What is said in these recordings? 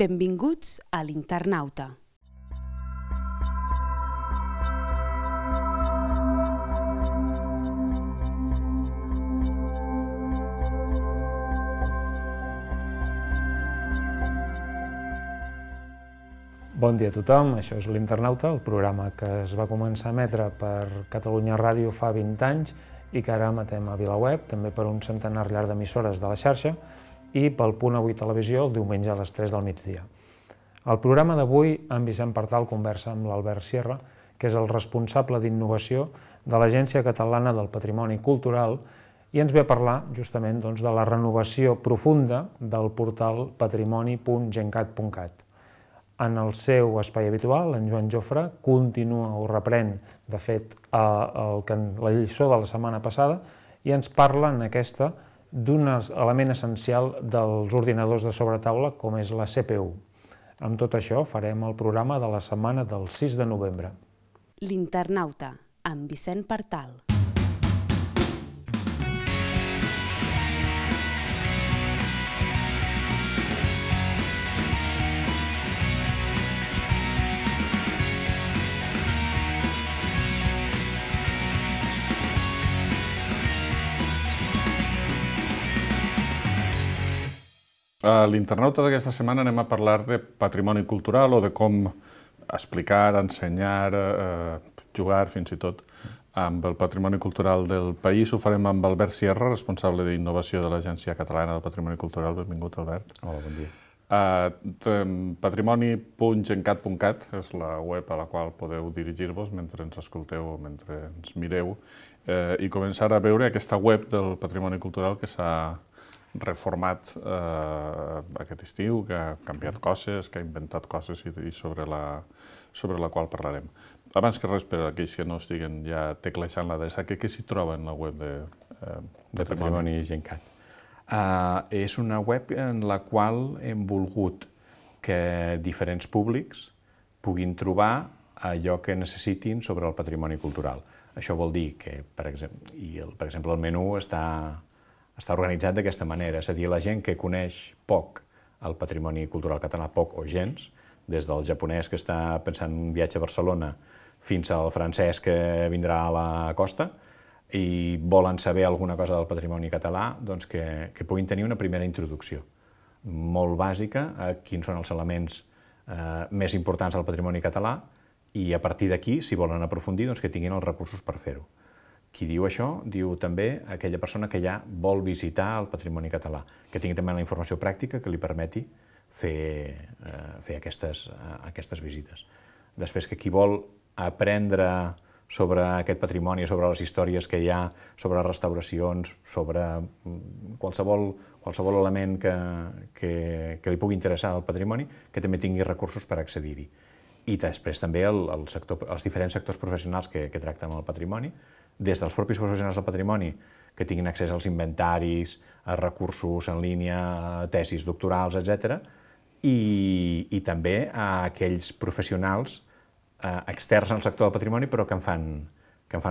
Benvinguts a l'Internauta. Bon dia a tothom, això és l'Internauta, el programa que es va començar a emetre per Catalunya Ràdio fa 20 anys i que ara emetem a VilaWeb, també per un centenar llarg d'emissores de la xarxa i pel Punt Avui Televisió el diumenge a les 3 del migdia. Al programa d'avui, en Vicent Partal conversa amb l'Albert Sierra, que és el responsable d'innovació de l'Agència Catalana del Patrimoni Cultural i ens ve a parlar justament de la renovació profunda del portal patrimoni.gencat.cat. En el seu espai habitual, en Joan Jofre continua o reprèn, de fet, la lliçó de la setmana passada i ens parla en aquesta d'un element essencial dels ordinadors de sobretaula com és la CPU. Amb tot això farem el programa de la setmana del 6 de novembre. L'Internauta, amb Vicent Partal. A l'Internauta d'aquesta setmana anem a parlar de patrimoni cultural o de com explicar, ensenyar, jugar fins i tot amb el patrimoni cultural del país. Ho farem amb Albert Sierra, responsable d'innovació de l'Agència Catalana del Patrimoni Cultural. Benvingut, Albert. Hola, bon dia. Patrimoni.gencat.cat és la web a la qual podeu dirigir-vos mentre ens escolteu o mentre ens mireu i començar a veure aquesta web del patrimoni cultural que s'ha reformat aquest estiu, que ha canviat coses, que ha inventat coses i sobre la qual parlarem. Abans que res, per a aquells que no estiguen ja teclejant l'adreça, què s'hi troba en la web de Patrimoni Gencat? És una web en la qual hem volgut que diferents públics puguin trobar allò que necessitin sobre el patrimoni cultural. Això vol dir que, per exemple, el menú està organitzat d'aquesta manera, és a dir, la gent que coneix poc el patrimoni cultural català, poc o gens, des del japonès que està pensant en un viatge a Barcelona fins al francès que vindrà a la costa i volen saber alguna cosa del patrimoni català, doncs que puguin tenir una primera introducció molt bàsica a quins són els elements més importants del patrimoni català i a partir d'aquí, si volen aprofundir, doncs que tinguin els recursos per fer-ho. Qui diu això, diu també aquella persona que ja vol visitar el patrimoni català, que tingui també la informació pràctica que li permeti fer aquestes visites. Després que qui vol aprendre sobre aquest patrimoni, sobre les històries que hi ha, sobre restauracions, sobre qualsevol element que li pugui interessar al patrimoni, que també tingui recursos per accedir-hi. I després també els diferents sectors professionals que tracten el patrimoni, des dels propis professionals del patrimoni que tinguin accés als inventaris, a recursos en línia, a tesis doctorals, etc. I també a aquells professionals externs al sector del patrimoni però que en fan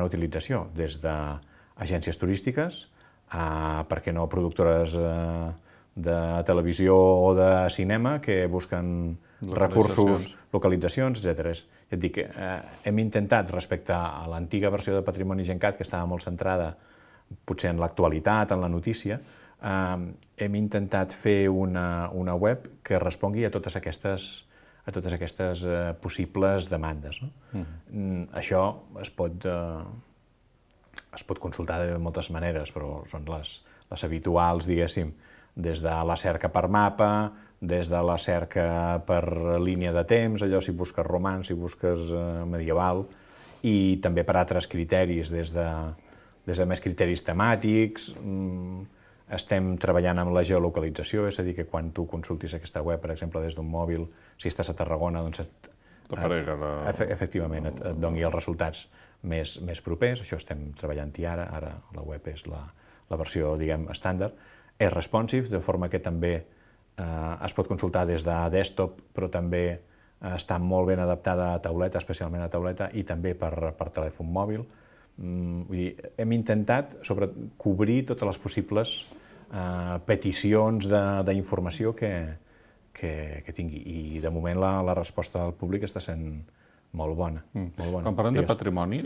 utilització, des d'agències turístiques, per què no productores de televisió o de cinema que busquen recursos, localitzacions, etc. Ja et dic, hem intentat, respecte a l'antiga versió de Patrimoni Gencat, que estava molt centrada potser en l'actualitat, en la notícia, hem intentat fer una web que respongui a totes aquestes possibles demandes. Això es pot consultar de moltes maneres, però són les habituals, diguéssim, des de la cerca per mapa, des de la cerca per línia de temps, allò si busques romanç, si busques medieval, i també per altres criteris, des de més criteris temàtics. Estem treballant amb la geolocalització, és a dir, que quan tu consultis aquesta web, per exemple, des d'un mòbil, si estàs a Tarragona, doncs efectivament et doni els resultats més propers. Això estem treballant-hi ara la web és la versió, diguem, estàndard. És responsive, de forma que també es pot consultar des de desktop, però també està molt ben adaptada a tauleta, especialment a tauleta, i també per telèfon mòbil. Vull dir, hem intentat cobrir totes les possibles peticions d'informació que que tingui. I de moment la resposta del públic està sent molt bona. Quan parlem de patrimoni,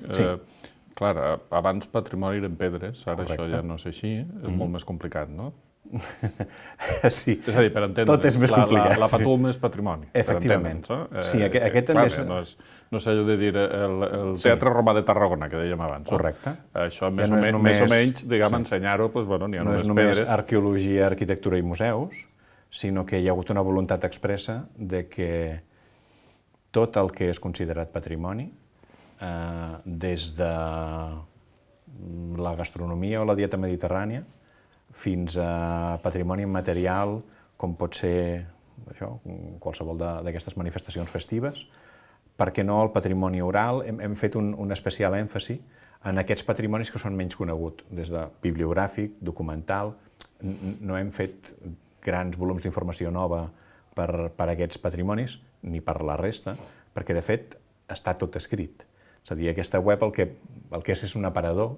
clar, abans patrimoni eren pedres, ara això ja no és així, és molt més complicat, no? Sí, és a dir, per entendre, tot és més complicat. La Patum és patrimoni. Efectivament. Sí, aquest també és... No sé allò de dir el Teatre Romà de Tarragona, que dèiem abans. Correcte. Això més o menys, diguem, ensenyar-ho, n'hi ha només pedres. No és només arqueologia, arquitectura i museus, sinó que hi ha hagut una voluntat expressa de que tot el que és considerat patrimoni, des de la gastronomia o la dieta mediterrània, fins a patrimoni immaterial, com pot ser qualsevol d'aquestes manifestacions festives. Per què no el patrimoni oral? Hem fet un especial èmfasi en aquests patrimonis que són menys coneguts, des de bibliogràfic, documental. No hem fet grans volums d'informació nova per aquests patrimonis, ni per la resta, perquè, de fet, està tot escrit. És a dir, aquesta web el que és un aparador,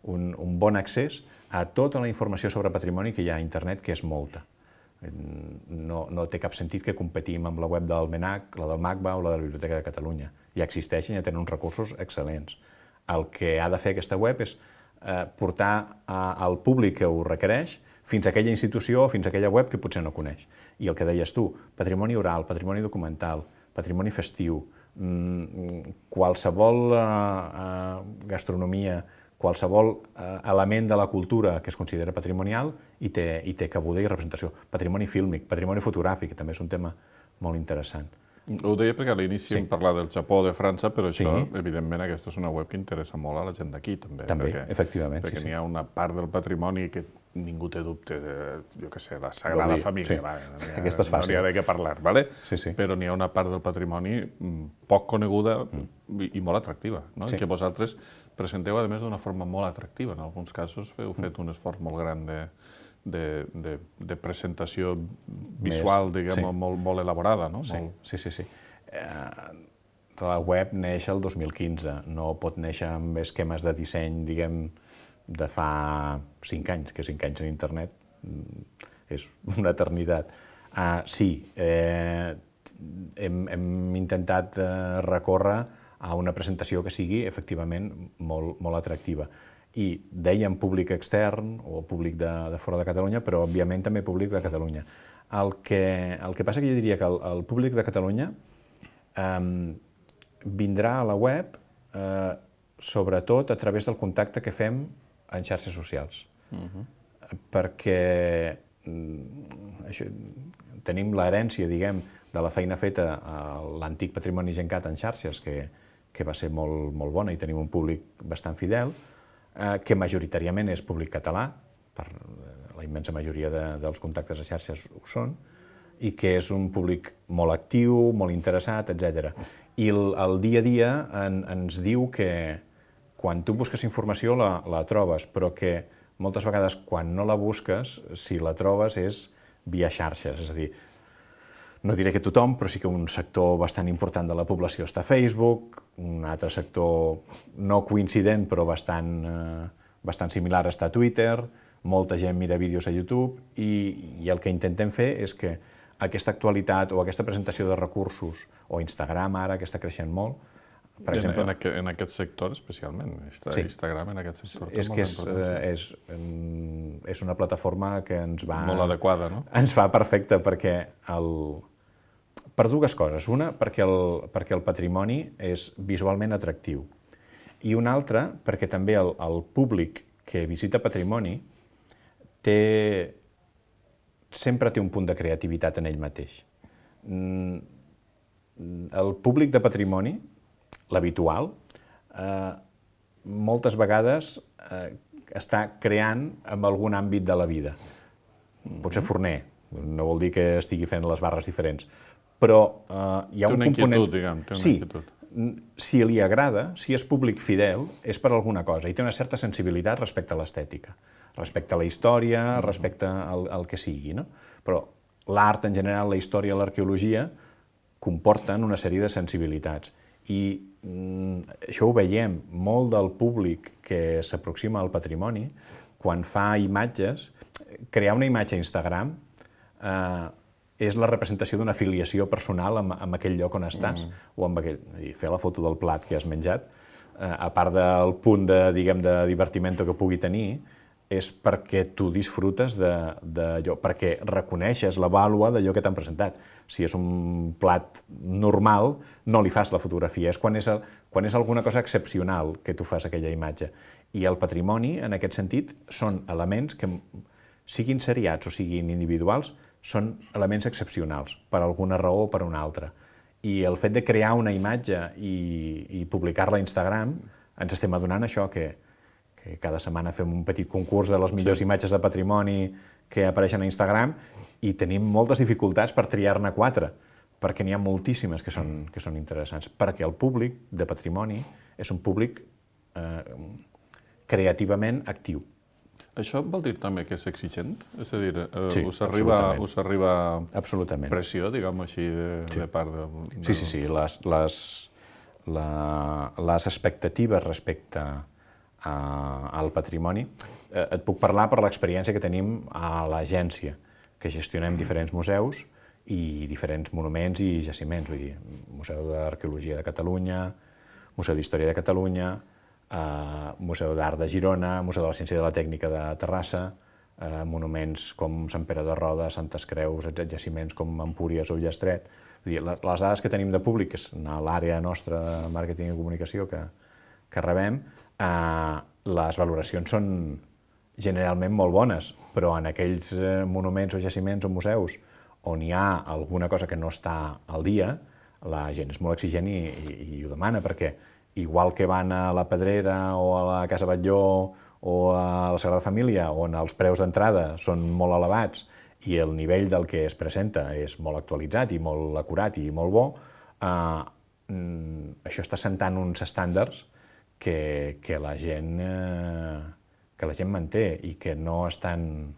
un bon accés a tota la informació sobre patrimoni que hi ha a internet, que és molta. No té cap sentit que competim amb la web del MNAC, la del MACBA o la de la Biblioteca de Catalunya. Ja existeixen, ja tenen uns recursos excel·lents. El que ha de fer aquesta web és portar al públic que ho requereix fins a aquella institució o fins a aquella web que potser no coneix. I el que deies tu, patrimoni oral, patrimoni documental, patrimoni festiu, qualsevol gastronomia, qualsevol element de la cultura que es considera patrimonial i té cabuda i representació. Patrimoni fílmic, patrimoni fotogràfic, que també és un tema molt interessant. Ho deia perquè a l'inici hem parlat del Japó, de França, però això, evidentment, aquesta és una web que interessa molt a la gent d'aquí, també. També, efectivament. Perquè n'hi ha una part del patrimoni que ningú té dubte de, jo què sé, la Sagrada Família. Aquesta és fàcil. No n'hi ha de què parlar, ¿vale? Sí. Però n'hi ha una part del patrimoni poc coneguda i molt atractiva, no? Que vosaltres presenteu, a més, d'una forma molt atractiva. En alguns casos heu fet un esforç molt gran de presentació visual, diguem, molt elaborada, no? Sí. La web neix el 2015, no pot néixer amb esquemes de disseny, diguem, de fa 5 anys, que 5 anys en internet és una eternitat. Sí, hem intentat recórrer a una presentació que sigui, efectivament, molt atractiva. I dèiem públic extern o públic de fora de Catalunya, però òbviament també públic de Catalunya. El que passa que jo diria que el públic de Catalunya vindrà a la web sobretot a través del contacte que fem en xarxes socials. Perquè tenim l'herència, diguem, de la feina feta a l'antic Patrimoni Gencat en xarxes, que va ser molt bona i tenim un públic bastant fidel, que majoritàriament és públic català, per la immensa majoria dels contactes a xarxes ho són, i que és un públic molt actiu, molt interessat, etc. I el dia a dia ens diu que quan tu busques informació la trobes, però que moltes vegades quan no la busques, si la trobes és via xarxes, és a dir, no diré que tothom, però sí que un sector bastant important de la població està a Facebook, un altre sector no coincident però bastant similar està a Twitter, molta gent mira vídeos a YouTube i el que intentem fer és que aquesta actualitat o aquesta presentació de recursos, o Instagram ara, que està creixent molt, per exemple... En aquest sector especialment, Instagram en aquest sector té molta importància. És una plataforma que ens va... Molt adequada, no? Ens va perfecta perquè per dues coses. Una, perquè el patrimoni és visualment atractiu. I una altra, perquè també el públic que visita patrimoni sempre té un punt de creativitat en ell mateix. El públic de patrimoni, l'habitual, moltes vegades està creant en algun àmbit de la vida. Pot ser forner, no vol dir que estigui fent les barres diferents, però hi ha un component... Té una inquietud, diguem, té una inquietud. Si li agrada, si és públic fidel, és per alguna cosa, i té una certa sensibilitat respecte a l'estètica, respecte a la història, respecte al que sigui, no? Però l'art en general, la història, l'arqueologia, comporten una sèrie de sensibilitats. I això ho veiem, molt del públic que s'aproxima al patrimoni, quan fa imatges, crear una imatge a Instagram és la representació d'una afiliació personal amb aquell lloc on estàs, o amb aquell... Fer la foto del plat que has menjat, a part del punt de divertiment que pugui tenir, és perquè tu disfrutes d'allò, perquè reconeixes la vàlua d'allò que t'han presentat. Si és un plat normal, no li fas la fotografia, és quan és alguna cosa excepcional que tu fas aquella imatge. I el patrimoni, en aquest sentit, són elements que, siguin seriats o siguin individuals, són elements excepcionals, per alguna raó o per una altra. I el fet de crear una imatge i publicar-la a Instagram, ens estem adonant això, que cada setmana fem un petit concurs de les millors imatges de patrimoni que apareixen a Instagram i tenim moltes dificultats per triar-ne 4, perquè n'hi ha moltíssimes que són interessants, perquè el públic de patrimoni és un públic creativament actiu. Això vol dir també que és exigent? És a dir, us arriba absolutament pressió, diguem així, de part de... Sí. Les expectatives respecte al patrimoni. Et puc parlar per l'experiència que tenim a l'agència, que gestionem diferents museus i diferents monuments i jaciments, vull dir, Museu d'Arqueologia de Catalunya, Museu d'Història de Catalunya, Museu d'Art de Girona, Museu de la Ciència i de la Tècnica de Terrassa, monuments com Sant Pere de Roda, Santes Creus, jaciments com Empúries o Ullastret. Les dades que tenim de públic, que és a l'àrea nostra de màrqueting i comunicació que rebem, les valoracions són generalment molt bones, però en aquells monuments o jaciments o museus on hi ha alguna cosa que no està al dia, la gent és molt exigent i ho demana, perquè igual que van a la Pedrera o a la Casa Batlló o a la Sagrada Família, on els preus d'entrada són molt elevats i el nivell del que es presenta és molt actualitzat i molt acurat i molt bo, això està sentant uns estàndards que la gent manté i que no estan...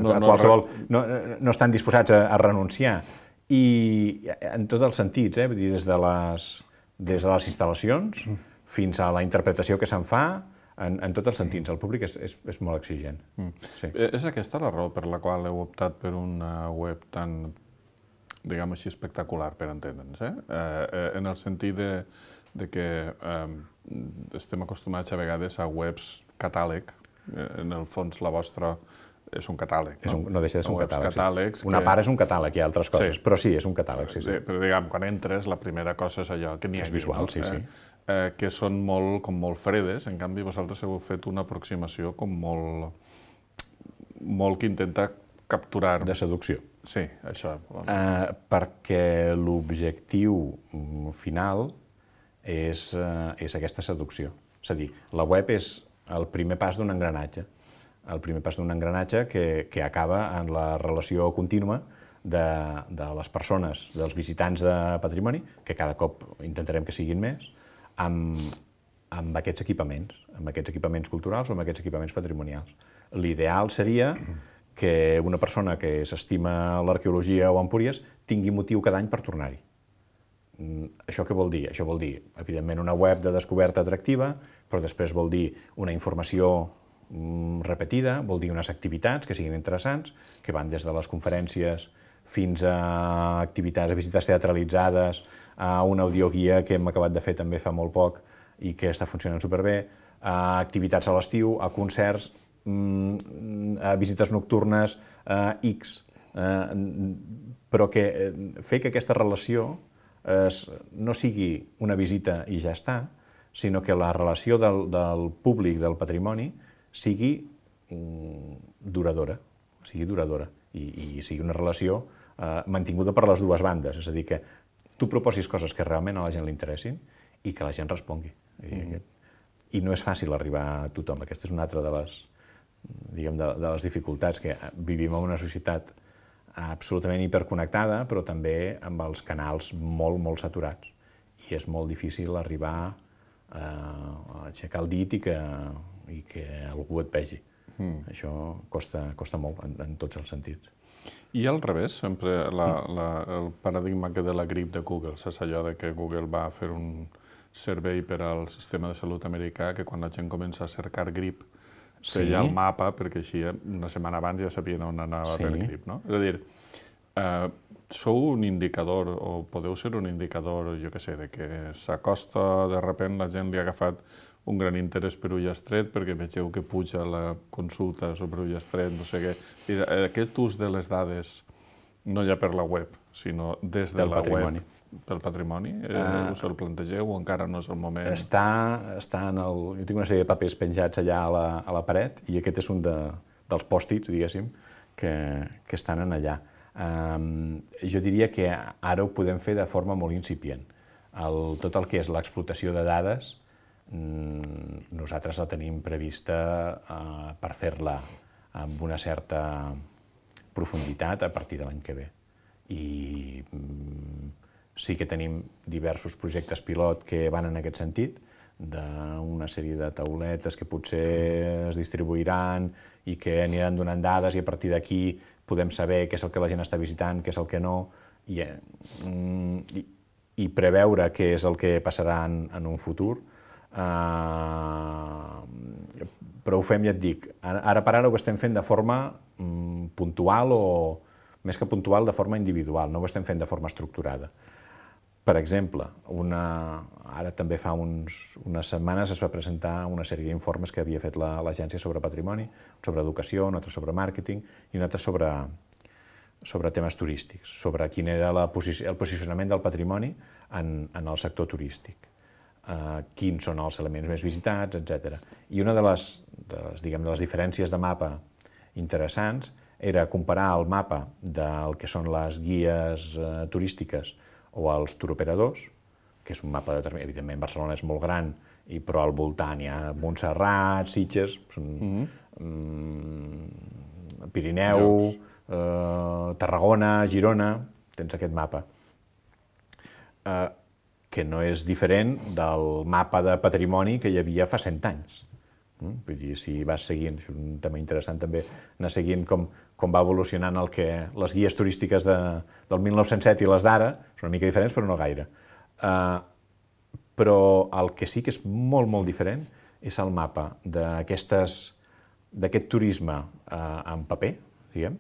No estan disposats a renunciar. I en tots els sentits, vull dir, des de les instal·lacions fins a la interpretació que se'n fa, en tots els sentits. El públic és molt exigent. És aquesta la raó per la qual heu optat per una web tan, diguem així, espectacular, per entendre'ns, en el sentit de que estem acostumats a vegades a webs catàleg, en el fons la vostra és un catàleg. No deixa de ser un catàleg. Una part és un catàleg, hi ha altres coses, però sí, és un catàleg. Però diguem, quan entres, la primera cosa és allò que n'hi ha. És visual, sí. Que són molt fredes, en canvi vosaltres heu fet una aproximació com molt que intenta capturar... De seducció. Sí, això. Perquè l'objectiu final és aquesta seducció. És a dir, la web és el primer pas d'un engranatge. El primer pas d'un engranatge que acaba en la relació contínua de les persones, dels visitants de patrimoni, que cada cop intentarem que siguin més, amb aquests equipaments culturals o amb aquests equipaments patrimonials. L'ideal seria que una persona que s'estima l'arqueologia o Empúries tingui motiu cada any per tornar-hi. Això què vol dir? Això vol dir, evidentment, una web de descoberta atractiva, però després vol dir una informació repetida, vol dir unes activitats que siguin interessants, que van des de les conferències fins a activitats, a visites teatralitzades, a una audioguia que hem acabat de fer també fa molt poc i que està funcionant superbé, a activitats a l'estiu, a concerts, a visites nocturnes, X. Però fer que aquesta relació no sigui una visita i ja està, sinó que la relació del públic del patrimoni sigui duradora, i sigui una relació mantinguda per les dues bandes, és a dir, que tu proposis coses que realment a la gent li interessin i que la gent respongui. I no és fàcil arribar a tothom. Aquesta és una altra de les dificultats, que vivim en una societat absolutament hiperconnectada, però també amb els canals molt, molt saturats. I és molt difícil arribar a aixecar el dit i que algú et vegi. Això costa molt en tots els sentits. I al revés, sempre el paradigma de la grip de Google, és allò de que Google va fer un servei per al sistema de salut americà que quan la gent comença a cercar grip feia el mapa, perquè així una setmana abans ja sabien on anava per equip, no? És a dir, sou un indicador, o podeu ser un indicador, jo què sé, de que s'acosta, de sobte la gent li ha agafat un gran interès per Ullastret, perquè vegeu que puja la consulta sobre Ullastret, no sé què. Aquest ús de les dades, no ja per la web, sinó des de la web, pel patrimoni, us el plantegeu o encara no és el moment? Està en el... Jo tinc una sèrie de papers penjats allà a la paret i aquest és un dels pòstits, diguéssim, que estan allà. Jo diria que ara ho podem fer de forma molt incipient. Tot el que és l'explotació de dades, nosaltres la tenim prevista per fer-la amb una certa profunditat a partir de l'any que ve. I sí que tenim diversos projectes pilot que van en aquest sentit, d'una sèrie de tauletes que potser es distribuiran i que aniran donant dades i a partir d'aquí podem saber què és el que la gent està visitant, què és el que no, i preveure què és el que passarà en un futur. Però ho fem, ja et dic, ara per ara ho estem fent de forma puntual o, més que puntual, de forma individual, no ho estem fent de forma estructurada. Per exemple, ara també fa unes setmanes es va presentar una sèrie d'informes que havia fet l'agència sobre patrimoni, sobre educació, un altre sobre màrqueting i un altre sobre temes turístics, sobre quin era el posicionament del patrimoni en el sector turístic, quins són els elements més visitats, etc. I una de les diferències de mapa interessants era comparar el mapa del que són les guies turístiques o els turoperadors, que és un mapa determinat. Evidentment, Barcelona és molt gran, però al voltant hi ha Montserrat, Sitges, Pirineu, Tarragona, Girona, tens aquest mapa, que no és diferent del mapa de patrimoni que hi havia fa 100 anys. Vull dir, si vas seguint, és un tema interessant també, anar seguint com va evolucionant les guies turístiques del 1907 i les d'ara, són una mica diferents, però no gaire. Però el que sí que és molt, molt diferent és el mapa d'aquest turisme en paper, diguem,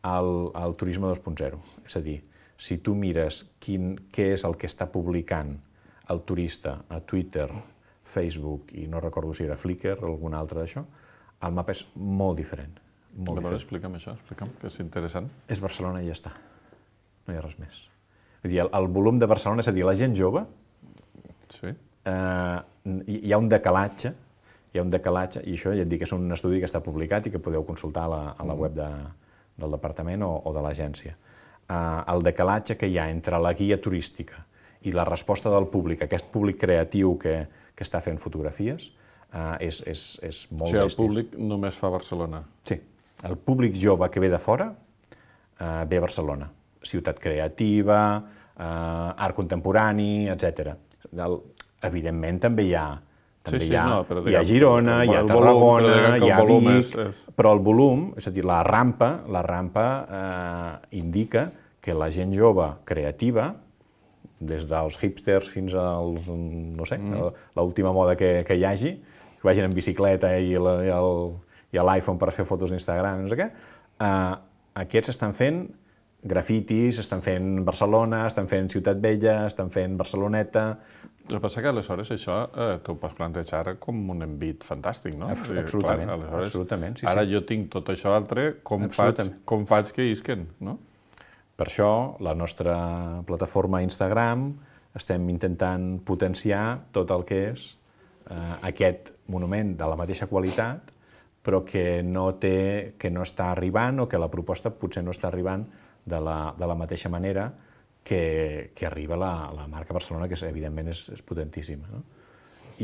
al turisme 2.0. És a dir, si tu mires què és el que està publicant el turista a Twitter, Facebook i no recordo si era Flickr o algun altre d'això, el mapa és molt diferent. Explica'm això, que és interessant. És Barcelona i ja està. No hi ha res més. Vull dir, el volum de Barcelona, és a dir, la gent jove, hi ha un decalatge, i això ja et dic que és un estudi que està publicat i que podeu consultar a la web del departament o de l'agència. El decalatge que hi ha entre la guia turística i la resposta del públic, aquest públic creatiu que està fent fotografies, és molt bèstia. O sigui, el públic només fa Barcelona. Sí. El públic jove que ve de fora ve a Barcelona. Ciutat creativa, art contemporani, etc. Evidentment també hi ha Girona, hi ha Tarragona, hi ha Vic, però el volum, és a dir, la rampa indica que la gent jove creativa, des dels hipsters fins als, no sé, l'última moda que hi hagi, que vagin en bicicleta i l'iPhone per fer fotos d'Instagram, no sé què, aquests estan fent grafitis, estan fent Barcelona, estan fent Ciutat Vella, estan fent Barceloneta. El que passa que aleshores això t'ho pots plantejar com un envit fantàstic, no? Absolutament. Ara jo tinc tot això altre, com faig que isquen, no? Per això, la nostra plataforma Instagram, estem intentant potenciar tot el que és aquest monument de la mateixa qualitat, però que no està arribant o que la proposta potser no està arribant de la mateixa manera que arriba la marca Barcelona, que evidentment és potentíssima.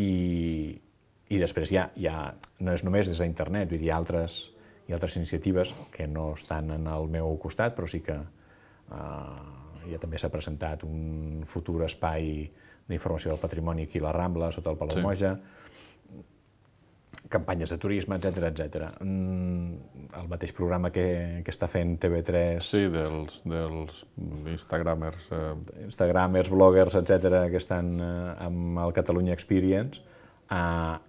I després no és només des d'internet, vull dir, hi ha altres iniciatives que no estan en el meu costat, però sí que ja també s'ha presentat un futur espai d'informació del patrimoni aquí a la Rambla, sota el Palau Moja, campanyes de turisme, etc. El mateix programa que està fent TV3... Sí, dels instagramers. Instagramers, bloggers, etc., que estan amb el Catalunya Experience,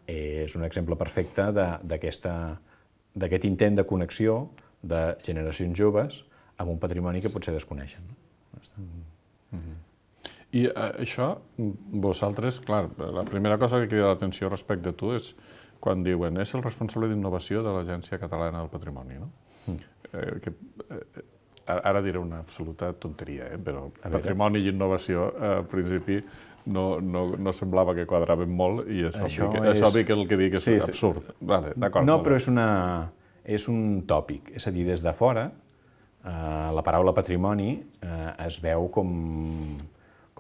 és un exemple perfecte d'aquest intent de connexió de generacions joves amb un patrimoni que potser desconeixen. I això, vosaltres, clar, la primera cosa que crida l'atenció respecte a tu és quan diuen és el responsable d'innovació de l'Agència Catalana del Patrimoni, no? Ara diré una absoluta tonteria, però patrimoni i innovació, al principi, no semblava que quadraven molt i és obvi que el que dic és absurd. No, però és un tòpic. És a dir, des de fora, la paraula patrimoni es veu com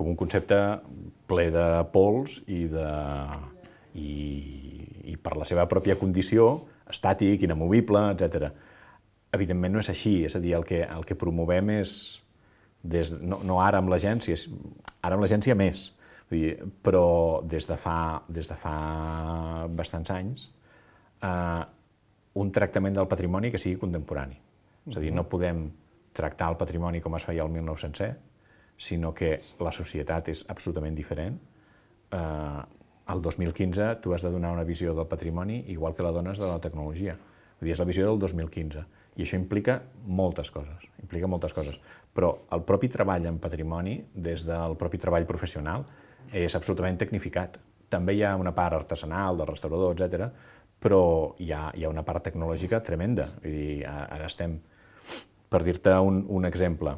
un concepte ple de pols i per la seva pròpia condició, estàtic, inamovible, etc. Evidentment no és així, és a dir, el que promovem és, no ara amb l'agència, ara amb l'agència més, però des de fa bastants anys, un tractament del patrimoni que sigui contemporani. És a dir, no podem tractar el patrimoni com es feia el 1907, sinó que la societat és absolutament diferent. El 2015 tu has de donar una visió del patrimoni igual que la dones de la tecnologia. Vull dir, és la visió del 2015. I això implica moltes coses. Però el propi treball en patrimoni, des del propi treball professional, és absolutament tecnificat. També hi ha una part artesanal, del restaurador, etc., però hi ha una part tecnològica tremenda. Vull dir, ara estem, per dir-te un exemple,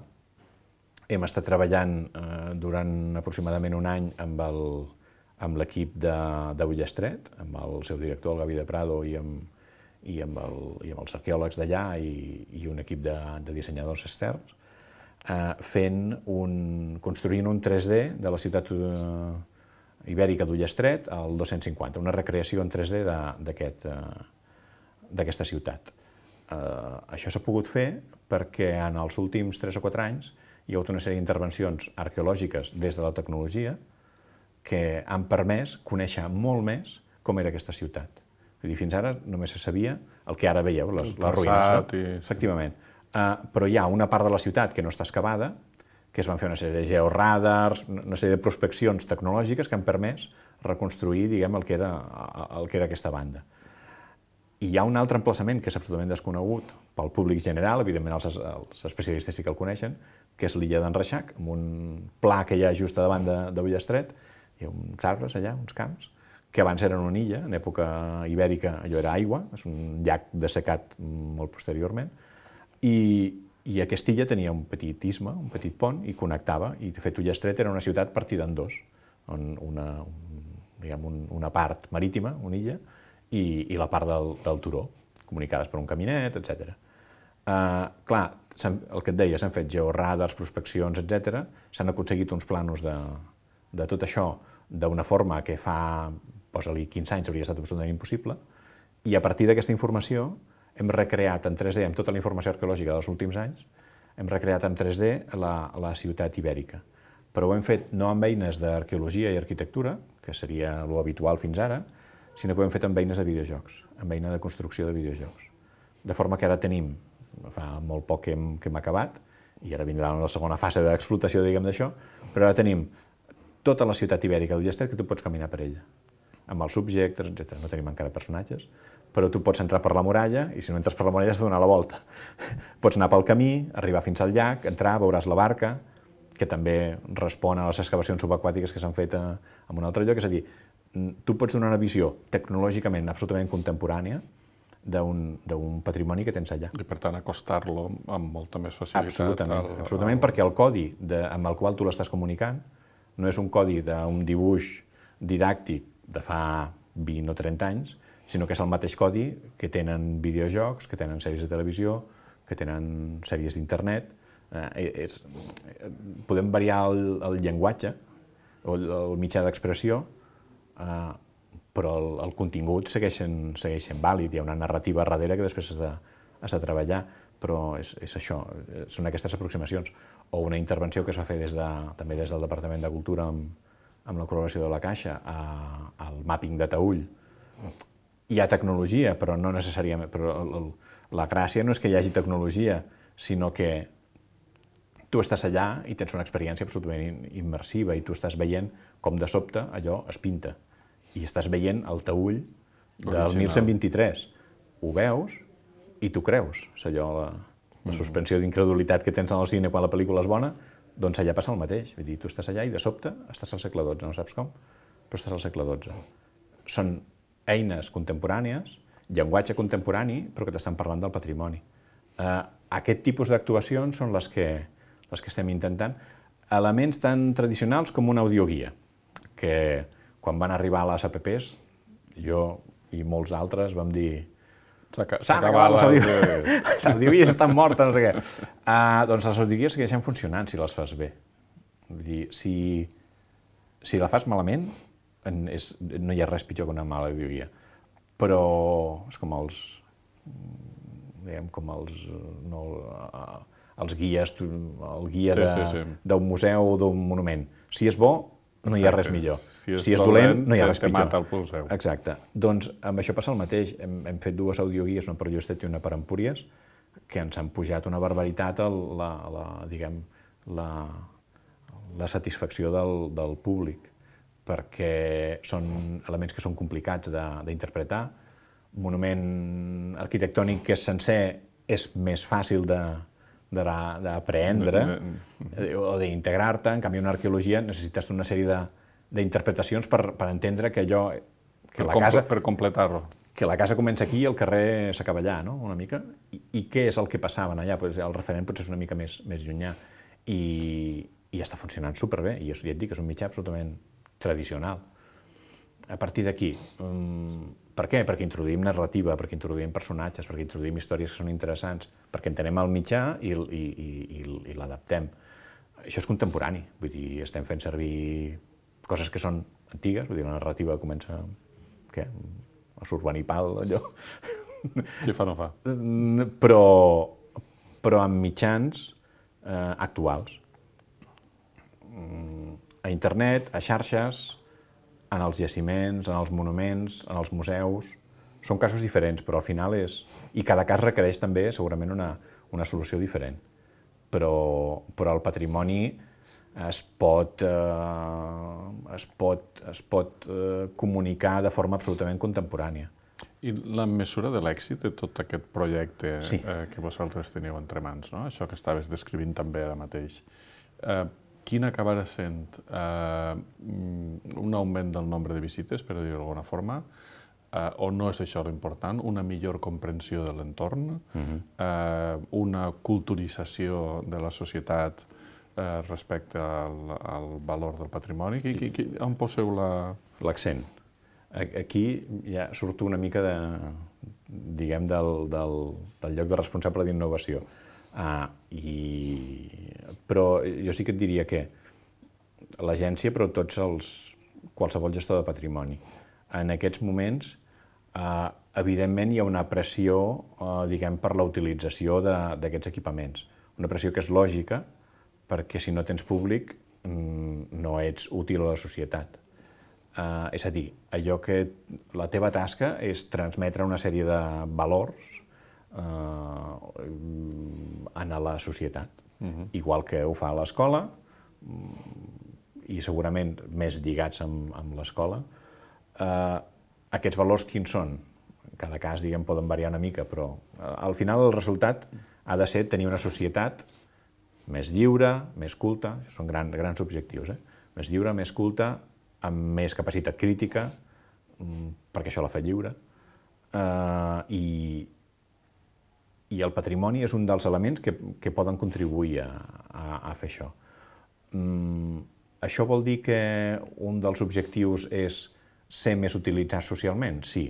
hem estat treballant durant aproximadament un any amb l'equip de Ullastret, amb el seu director, el Gavi de Prado, i amb els arqueòlegs d'allà i un equip de dissenyadors externs, construint un 3D de la ciutat ibèrica d'Ullastret al 250, una recreació en 3D d'aquesta ciutat. Això s'ha pogut fer perquè en els últims 3 o 4 anys hi ha hagut una sèrie d'intervencions arqueològiques des de la tecnologia que han permès conèixer molt més com era aquesta ciutat. Vull dir, fins ara només se sabia el que ara veieu, les ruïnes. Efectivament. Però hi ha una part de la ciutat que no està excavada, que es van fer una sèrie de georradars, una sèrie de prospeccions tecnològiques que han permès reconstruir, diguem, el que era aquesta banda. I hi ha un altre emplaçament que és absolutament desconegut pel públic general, evidentment els especialistes sí que el coneixen, que és l'illa d'en Reixac, amb un pla que hi ha just davant de Ullastret. Hi ha uns arbres allà, uns camps, que abans eren una illa, en època ibèrica allò era aigua, és un llac dessecat molt posteriorment, i aquesta illa tenia un petit istme, un petit pont, i connectava, i de fet Ullastret era una ciutat partida en dos, una part marítima, una illa, i la part del turó, comunicades per un caminet, etc. Clar, el que et deia, s'han fet georradars, prospeccions, etc. S'han aconseguit uns planos de tot això d'una forma que fa, posa-li 15 anys, hauria estat absolutament impossible, i a partir d'aquesta informació hem recreat en 3D, amb tota la informació arqueològica dels últims anys, hem recreat en 3D la ciutat ibèrica. Però ho hem fet no amb eines d'arqueologia i arquitectura, que seria l'habitual fins ara, sinó que ho hem fet amb eines de videojocs, amb eina de construcció de videojocs. De forma que ara tenim, fa molt poc que hem acabat, i ara vindrà la segona fase d'explotació, diguem, d'això, però ara tenim tota la ciutat ibèrica d'Ullastret que tu pots caminar per ella, amb els subjectes, etc. No tenim encara personatges, però tu pots entrar per la muralla i si no entres per la muralla has de donar la volta. Pots anar pel camí, arribar fins al llac, entrar, veuràs la barca, que també respon a les excavacions subaquàtiques que s'han fet en un altre lloc. És a dir, tu pots donar una visió tecnològicament absolutament contemporània d'un patrimoni que tens allà. I per tant acostar-lo amb molta més facilitat. Absolutament, perquè el codi amb el qual tu l'estàs comunicant no és un codi d'un dibuix didàctic de fa 20 o 30 anys, sinó que és el mateix codi que tenen videojocs, que tenen sèries de televisió, que tenen sèries d'internet. Podem variar el llenguatge o el mitjà d'expressió, però el contingut segueix sent vàlid. Hi ha una narrativa darrere que després has de treballar, però és això, són aquestes aproximacions. O una intervenció que es va fer també des del Departament de Cultura amb la col·laboració de la Caixa al màpping de Taüll. Hi ha tecnologia, però no necessàriament. Però la gràcia no és que hi hagi tecnologia, sinó que tu estàs allà i tens una experiència absolutament immersiva i tu estàs veient com de sobte allò es pinta i estàs veient el taüll del Original. 1123. Ho veus i t'ho creus. És allò, la suspensió d'incredulitat que tens al cine quan la pel·lícula és bona, doncs allà passa el mateix. Vull dir, tu estàs allà i de sobte estàs al segle XII, no saps com, però estàs al segle XII. Són eines contemporànies, llenguatge contemporani, però que t'estan parlant del patrimoni. Aquest tipus d'actuacions són les que estem intentant. Elements tan tradicionals com una audioguia, que quan van arribar a les APPs, jo i molts altres vam dir s'han acabat les audioguies. Les audioguies estan mortes, no sé què. Doncs les audioguies segueixen funcionant si les fas bé. Vull dir, si la fas malament, no hi ha res pitjor que una mala audioguia. Però és com els guies, el guia d'un museu o d'un monument. Si és bo, no hi ha res millor. Si és dolent, no hi ha res pitjor. Te mata el museu. Exacte. Doncs amb això passa el mateix. Hem fet dues audioguies, una per Llustet i una per Empúries, que ens han pujat una barbaritat la satisfacció del públic, perquè són elements que són complicats d'interpretar. Monument arquitectònic que és sencer és més fàcil d'aprendre o d'integrar-te. En canvi, una arqueologia necessites una sèrie d'interpretacions per entendre que allò... Per completar-lo. Que la casa comença aquí i el carrer s'acaba allà, no?, una mica. I què és el que passava allà? El referent potser és una mica més llunyà. I està funcionant superbé. I ja et dic que és un mitjà absolutament tradicional. A partir d'aquí, per què? Perquè introduïm narrativa, perquè introduïm personatges, perquè introduïm històries que són interessants, perquè entenem el mitjà i l'adaptem. Això és contemporani, vull dir, estem fent servir coses que són antigues, vull dir, la narrativa comença, què? A Surbanipal, allò. Qui fa no fa. Però amb mitjans actuals. A internet, a xarxes, en els jaciments, en els monuments, en els museus. Són casos diferents, però al final és... I cada cas requereix també segurament una solució diferent. Però el patrimoni es pot comunicar de forma absolutament contemporània. I la mesura de l'èxit de tot aquest projecte que vosaltres teniu entre mans, no? Això que estaves descrivint també ara mateix, quin acabarà sent un augment del nombre de visites, per dir-ho d'alguna forma, o no és això l'important, una millor comprensió de l'entorn, una culturització de la societat respecte al valor del patrimoni? On poseu l'accent? Aquí ja surto una mica diguem, del lloc de responsable d'innovació. Però jo sí que et diria que l'agència, però qualsevol gestor de patrimoni, en aquests moments, evidentment hi ha una pressió, diguem, per la utilització d'aquests equipaments. Una pressió que és lògica, perquè si no tens públic no ets útil a la societat. És a dir, allò que la teva tasca és transmetre una sèrie de valors a la societat, igual que ho fa a l'escola, i segurament més lligats amb l'escola. Aquests valors quins són? En cada cas, diguem, poden variar una mica, però al final el resultat ha de ser tenir una societat més lliure, més culta, són grans objectius, més lliure, més culta, amb més capacitat crítica, perquè això la fa lliure, i el patrimoni és un dels elements que poden contribuir a fer això. Això vol dir que un dels objectius és ser més utilitzat socialment? Sí.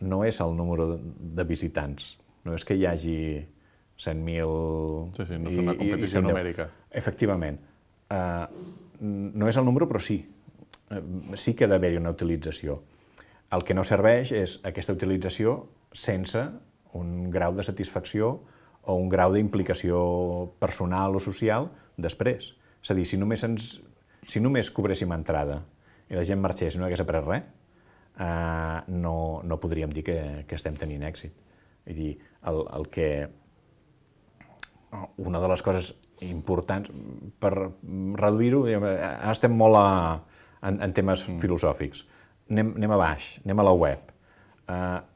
No és el número de visitants, no és que hi hagi 100.000... Sí, no és una competició numèrica. Efectivament. No és el número, però sí. Sí que ha d'haver-hi una utilització. El que no serveix és aquesta utilització sense un grau de satisfacció o un grau d'implicació personal o social després. És a dir, si només cobréssim entrada i la gent marxés i no hagués après res, no podríem dir que estem tenint èxit. Vull dir, una de les coses importants per reduir-ho, ara estem molt en temes filosòfics, anem a baix, anem a la web.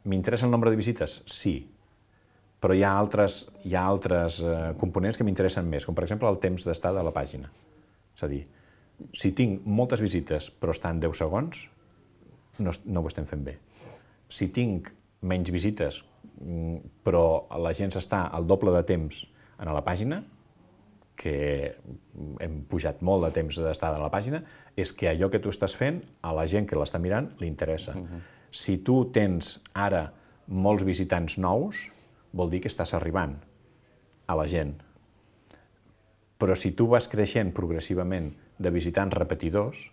M'interessa el nombre de visites? Sí. Però hi ha altres components que m'interessen més, com per exemple el temps d'estar de la pàgina. És a dir, si tinc moltes visites però estan 10 segons, no ho estem fent bé. Si tinc menys visites però la gent s'està el doble de temps a la pàgina, que hem pujat molt de temps d'estada a la pàgina, és que allò que tu estàs fent, a la gent que l'està mirant, li interessa. Si tu tens ara molts visitants nous, vol dir que estàs arribant a la gent. Però si tu vas creixent progressivament de visitants repetidors,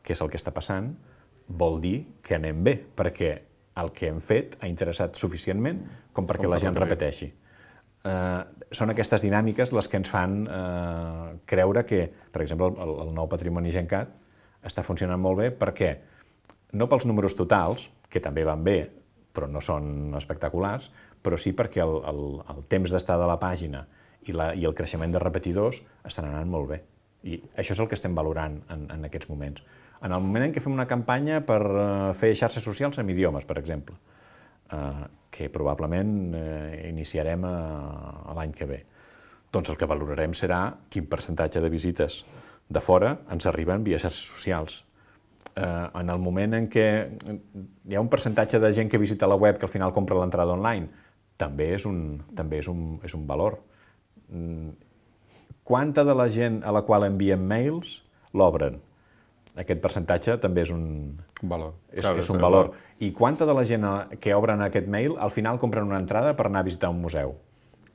que és el que està passant, vol dir que anem bé, perquè el que hem fet ha interessat suficientment com perquè la gent repeteixi. Són aquestes dinàmiques les que ens fan creure que, per exemple, el nou Patrimoni Gencat està funcionant molt bé perquè, no pels números totals, que també van bé, però no són espectaculars, però sí perquè el temps d'estar de la pàgina i el creixement de repetidors estan anant molt bé. I això és el que estem valorant en aquests moments. En el moment en què fem una campanya per fer xarxes socials en idiomes, per exemple, que probablement iniciarem l'any que ve. Doncs el que valorarem serà quin percentatge de visites de fora ens arriben via xarxes socials. En el moment en què hi ha un percentatge de gent que visita la web que al final compra l'entrada online, també és un valor. Quanta de la gent a la qual enviem mails l'obren? Aquest percentatge també és un valor. És un valor. I quanta de la gent que obren aquest mail al final compren una entrada per anar a visitar un museu?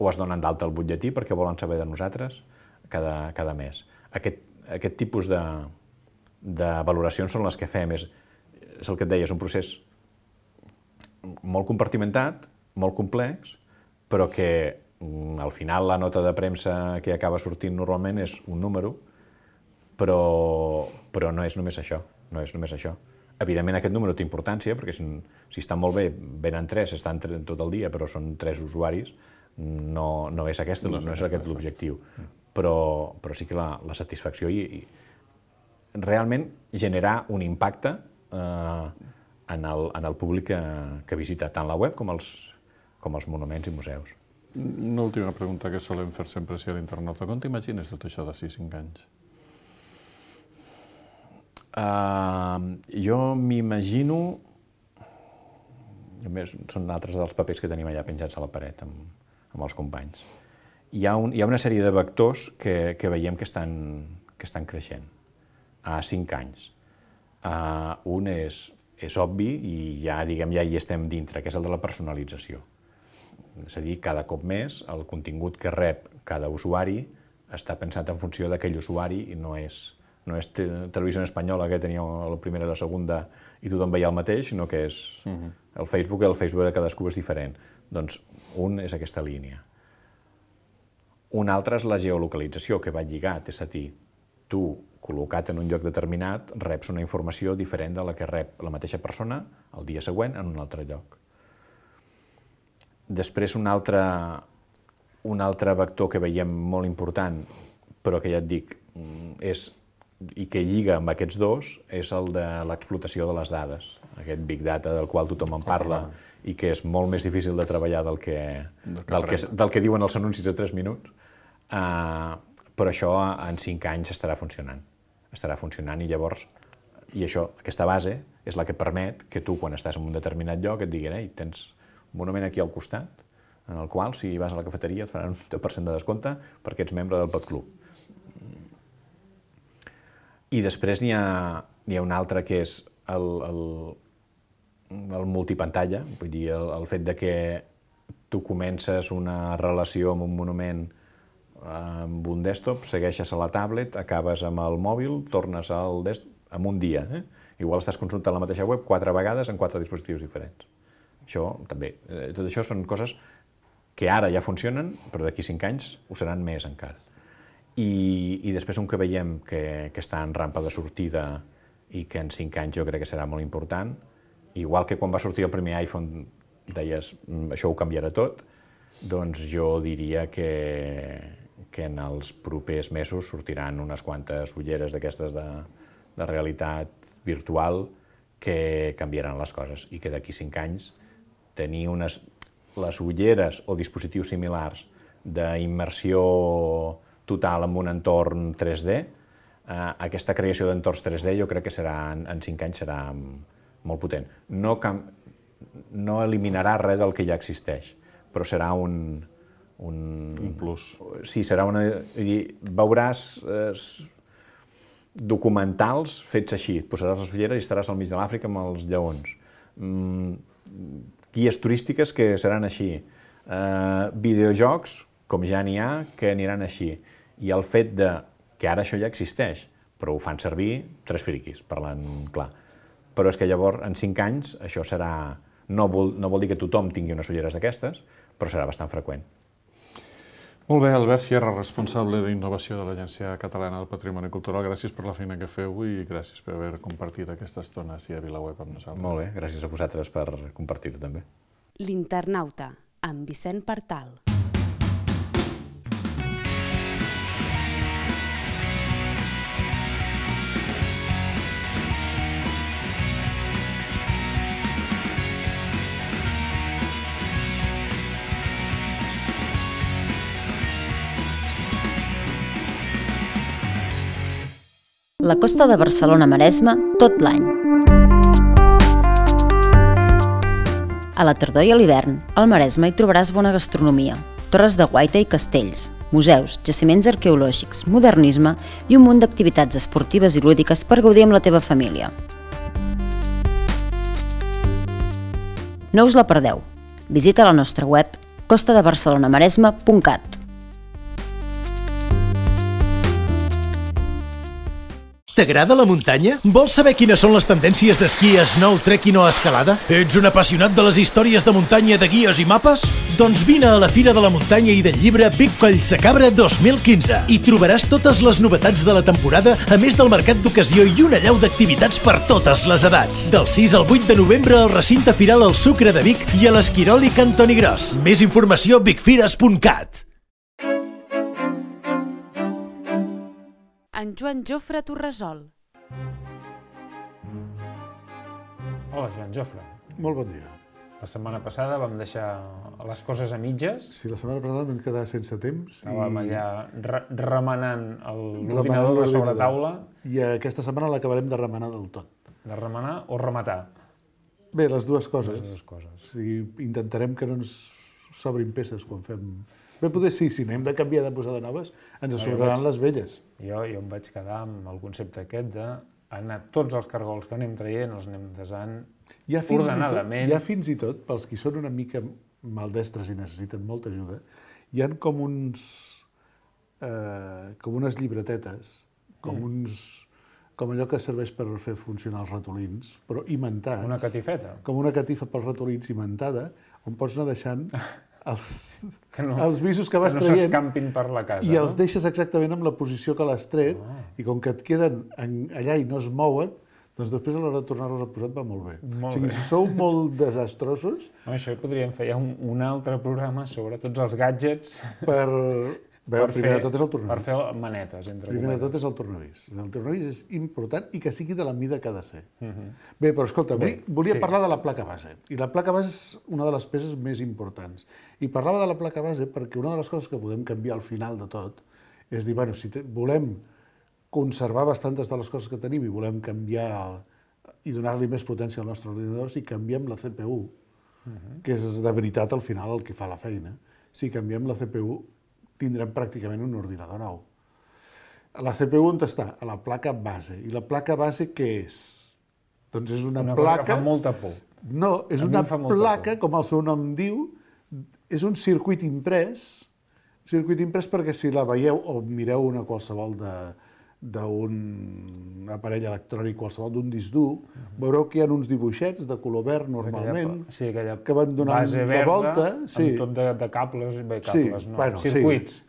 O es donen d'alta el butlletí perquè volen saber de nosaltres cada mes? Aquest tipus de valoracions són les que fem. És el que et deia, és un procés molt compartimentat, molt complex, però que al final la nota de premsa que acaba sortint normalment és un número, però no és només això. Evidentment aquest número té importància, perquè si està molt bé, venen 3, estan tot el dia, però són 3 usuaris, no és aquest l'objectiu. Però sí que la satisfacció i realment generar un impacte en el públic que visita tant la web com els monuments i museus. Una última pregunta que solem fer sempre a l'internauta. Com t'imagines tot això d'ací 5 anys? Jo m'imagino, són altres dels papers que tenim allà penjats a la paret amb els companys. Hi ha una sèrie de vectors que veiem que estan creixent a 5 anys. Un és obvi i ja hi estem dintre, que és el de la personalització. És a dir, cada cop més el contingut que rep cada usuari està pensat en funció d'aquell usuari i no és Televisió Espanyola, que tenia la primera i la segona i tothom veia el mateix, sinó que és el Facebook de cadascú és diferent. Doncs un és aquesta línia. Un altre és la geolocalització, que va lligat, és a dir, tu, col·locat en un lloc determinat, reps una informació diferent de la que rep la mateixa persona el dia següent en un altre lloc. Després, un altre vector que veiem molt important, però que ja et dic, i que lliga amb aquests dos, és el de l'explotació de les dades. Aquest Big Data del qual tothom en parla i que és molt més difícil de treballar del que diuen els anuncis de 3 minuts. Però això en 5 anys estarà funcionant i llavors, aquesta base és la que permet que tu, quan estàs en un determinat lloc, et diguin: ei, tens un monument aquí al costat, en el qual, si vas a la cafeteria, et faran un 10% de descompte perquè ets membre del PodClub. I després n'hi ha un altre que és el multipantalla, vull dir, el fet de que tu comences una relació amb un monument amb un desktop, segueixes a la tablet, acabes amb el mòbil, tornes al desktop en un dia. Igual estàs consultant la mateixa web 4 vegades en 4 dispositius diferents. Això també. Tot això són coses que ara ja funcionen, però d'aquí 5 anys ho seran més encara. I després un que veiem que està en rampa de sortida i que en 5 anys jo crec que serà molt important, igual que quan va sortir el primer iPhone deies això ho canviarà tot, doncs jo diria que en els propers mesos sortiran unes quantes ulleres d'aquestes de realitat virtual que canviaran les coses i que d'aquí 5 anys tenir les ulleres o dispositius similars d'immersió total en un entorn 3D, aquesta creació d'entorns 3D jo crec que en 5 anys serà molt potent. No eliminarà res del que ja existeix, però serà un plus. Sí, serà veuràs documentals fets així. Et posaràs les ulleres i estaràs al mig de l'Àfrica amb els lleons. Guies turístiques que seran així. Videojocs, com ja n'hi ha, que aniran així. I el fet que ara això ja existeix, però ho fan servir 3 friquis, parlant clar. Però és que llavors, en 5 anys, això serà... No vol dir que tothom tingui unes ulleres d'aquestes, però serà bastant freqüent. Molt bé, Albert Sierra, responsable d'innovació de l'Agència Catalana del Patrimoni Cultural. Gràcies per la feina que feu i gràcies per haver compartit aquesta estona a VilaWeb amb nosaltres. Molt bé, gràcies a vosaltres per compartir-ho també. L'Internauta, amb Vicent Partal. La costa de Barcelona-Maresme tot l'any. A la tardor i a l'hivern, al Maresme hi trobaràs bona gastronomia, torres de guaita i castells, museus, jaciments arqueològics, modernisme i un munt d'activitats esportives i lúdiques per gaudir amb la teva família. No us la perdeu. Visita la nostra web costadebarcelonamaresme.cat. T'agrada la muntanya? Vols saber quines són les tendències d'esquí, snow, trekking o escalada? Ets un apassionat de les històries de muntanya de guies i mapes? Doncs vine a la Fira de la Muntanya i del Llibre Vic Collsacabra 2015. Hi trobaràs totes les novetats de la temporada, a més del mercat d'ocasió i una allau d'activitats per totes les edats. Del 6 al 8 de novembre al recinte firal El Sucre de Vic i a l'Esquirol i Cantoni Gros. Més informació a vicfires.cat. En Joan Jofre Torresol. Hola, Joan Jofre. Molt bon dia. La setmana passada vam deixar les coses a mitges. Sí, la setmana passada vam quedar sense temps. Estàvem allà remenant l'ordinador de sobretaula. I aquesta setmana l'acabarem de remenar del tot. De remenar o rematar? Bé, les dues coses. Les dues coses. O sigui, intentarem que no ens sobrin peces quan fem... Bé, potser sí, si n'hem de canviar de posar de noves, ens sobraran les velles. Jo em vaig quedar amb el concepte aquest d'anar tots els cargols que anem traient, els anem desant ordenadament. Hi ha fins i tot, pels qui són una mica maldestres i necessiten molta ajuda, hi ha com unes llibretetes, com allò que serveix per fer funcionar els ratolins, però imantats. Una catifeta. Com una catifa pels ratolins imantada, on pots anar deixant els visos que vas traient. Que no s'escampin per la casa. I els deixes exactament amb la posició que l'has tret, i com que et queden allà i no es mouen, doncs després a l'hora de tornar-los a posar va molt bé. O sigui, si sou molt desastrosos... Això podríem fer ja un altre programa sobre tots els gadgets... Primer de tot és el tornavís. Per fer manetes, entre Primer de tot és el tornavís. El tornavís és important i que sigui de la mida que ha de ser. Bé, però escolta, volia parlar de la placa base. I la placa base és una de les peces més importants. I parlava de la placa base perquè una de les coses que podem canviar al final de tot és dir, bueno, si volem conservar bastantes de les coses que tenim i volem canviar i donar-li més potència al nostre ordinador, si canviem la CPU, que és de veritat al final el que fa la feina, si canviem la CPU tindrem pràcticament un ordinador nou. La CPU on està? A la placa base. I la placa base què és? Doncs és una placa... Cosa que fa molta por. No, és una placa, com el seu nom diu, és un circuit imprès perquè si la veieu o mireu una qualsevol d'un aparell electrònic qualsevol, d'un disc dur, veureu que hi ha uns dibuixets de color verd normalment, que van donant la volta. Amb tot de cables, circuits.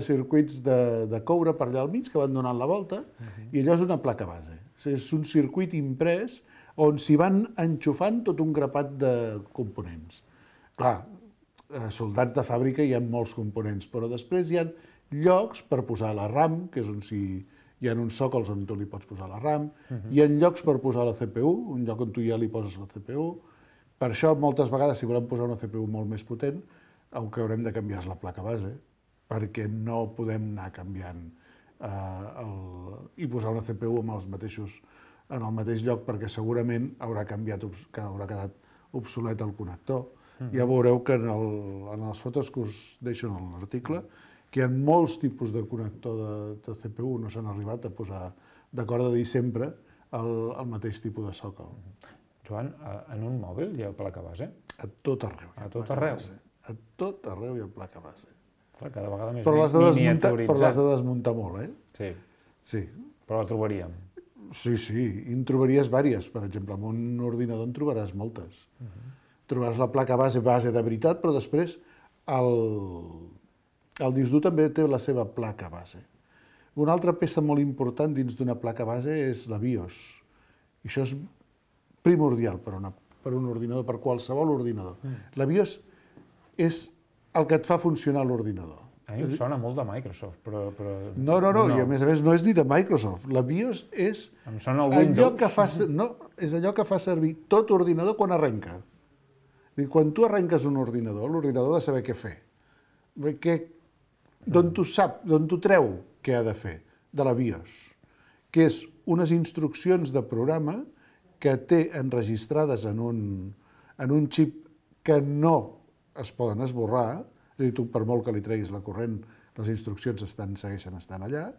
Circuits de coure per allà al mig que van donant la volta, i allò és una placa base. És un circuit imprès on s'hi van enxufant tot un grapat de components. Clar, soldats de fàbrica hi ha molts components, però després hi ha llocs per posar la RAM, que és on s'hi hi ha uns sòcols on tu li pots posar la RAM, hi ha llocs per posar la CPU, un lloc on tu ja li poses la CPU. Per això, moltes vegades, si volem posar una CPU molt més potent, el que haurem de canviar és la placa base, perquè no podem anar canviant i posar una CPU en el mateix lloc, perquè segurament haurà quedat obsolet el connector. Ja veureu que en les fotos que us deixo en l'article, que hi ha molts tipus de connector de CPU, no s'han arribat a posar d'acord de dir sempre el mateix tipus de sòcol. Joan, en un mòbil hi ha placa base? A tot arreu. A tot arreu? A tot arreu hi ha placa base. Clar, cada vegada més però miniaturitzat. Però l'has de desmuntar molt, Sí. Sí. Però la trobaríem. Sí, i en trobaries vàries. Per exemple, en un ordinador en trobaràs moltes. Trobaràs la placa base de veritat, però després el disc dur també té la seva placa base. Una altra peça molt important dins d'una placa base és la BIOS. I això és primordial per un ordinador, per qualsevol ordinador. La BIOS és el que et fa funcionar l'ordinador. A mi em sona molt de Microsoft, però... No, i a més no és ni de Microsoft. La BIOS és em sona el Windows. és allò que fa servir tot ordinador quan arrenca. Quan tu arrenques un ordinador, l'ordinador ha de saber què fer. D'on t'ho treu què ha de fer? De la BIOS, que és unes instruccions de programa que té enregistrades en un xip que no es poden esborrar, és a dir, tu per molt que li treguis la corrent, les instruccions segueixen estant allà,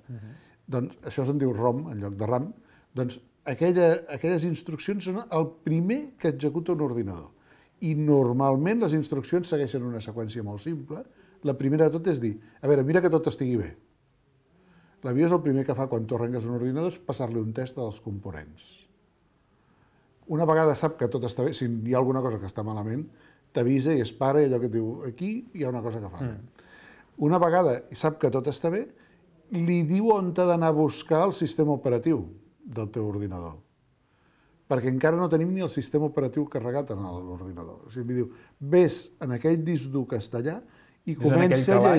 doncs això se'n diu ROM en lloc de RAM, doncs aquelles instruccions són el primer que executa un ordinador. I normalment les instruccions segueixen una seqüència molt simple. La primera de tot és dir, a veure, mira que tot estigui bé. La BIOS el primer que fa quan tu arrenques un ordinador és passar-li un test dels components. Una vegada sap que tot està bé, si hi ha alguna cosa que està malament, t'avisa i es para i allò que et diu, aquí hi ha una cosa que falla. Una vegada sap que tot està bé, li diu on t'ha d'anar a buscar el sistema operatiu del teu ordinador. Perquè encara no tenim ni el sistema operatiu carregat en l'ordinador. O sigui, li diu, vés en aquell disc dur que està allà i comença a